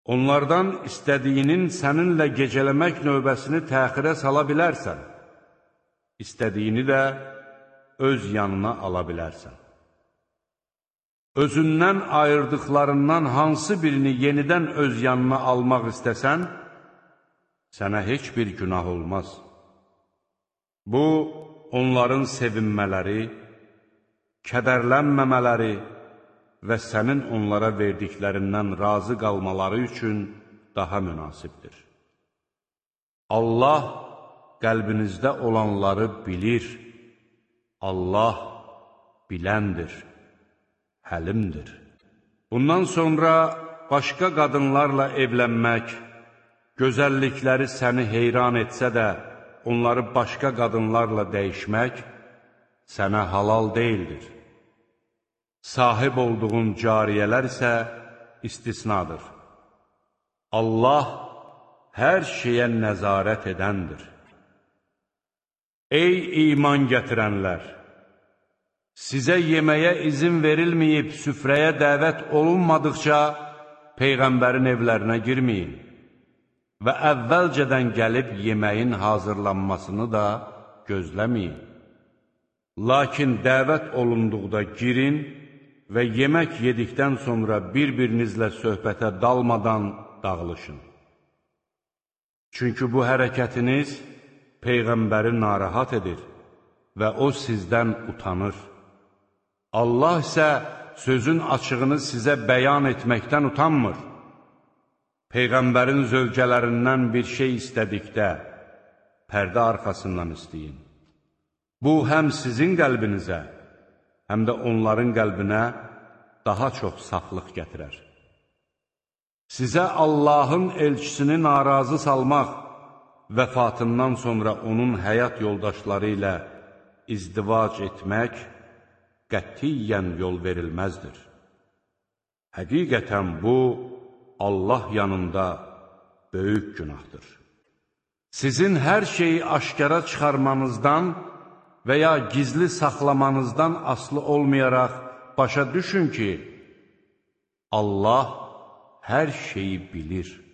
Onlardan istədiyinin səninlə gecələmək növbəsini təxirə sala bilərsən, istədiyini də öz yanına ala bilərsən. Özündən ayırdıqlarından hansı birini yenidən öz yanına almaq istəsən, sənə heç bir günah olmaz. Bu, onların sevinmələri, kədərlənməmələri və sənin onlara verdiklərindən razı qalmaları üçün daha münasibdir. Allah qəlbinizdə olanları bilir. Allah biləndir, həlimdir. Bundan sonra başqa qadınlarla evlənmək, gözəllikləri səni heyran etsə də, onları başqa qadınlarla dəyişmək sənə halal deyildir. Sahib olduğun cariyələr isə istisnadır. Allah hər şeyə nəzarət edəndir. Ey iman gətirənlər! Sizə yeməyə izin verilməyib süfrəyə dəvət olunmadıqca Peyğəmbərin evlərinə girməyin və əvvəlcədən gəlib yeməyin hazırlanmasını da gözləməyin. Lakin dəvət olunduqda girin və yemək yedikdən sonra bir-birinizlə söhbətə dalmadan dağılışın. Çünki bu hərəkətiniz Peyğəmbəri narahat edir və o sizdən utanır. Allah isə sözün açığını sizə bəyan etməkdən utanmır. Peyğəmbərin zövcələrindən bir şey istədikdə, pərdə arxasından istəyin. Bu, həm sizin qəlbinizə, həm də onların qəlbinə daha çox saflıq gətirər. Sizə Allahın elçisini narazı salmaq, vəfatından sonra onun həyat yoldaşları ilə izdivac etmək qətiyyən yol verilməzdir. Həqiqətən bu, Allah yanında böyük günahdır. Sizin hər şeyi aşkara çıxarmanızdan və ya gizli saxlamanızdan asılı olmayaraq başa düşün ki, Allah hər şeyi bilir.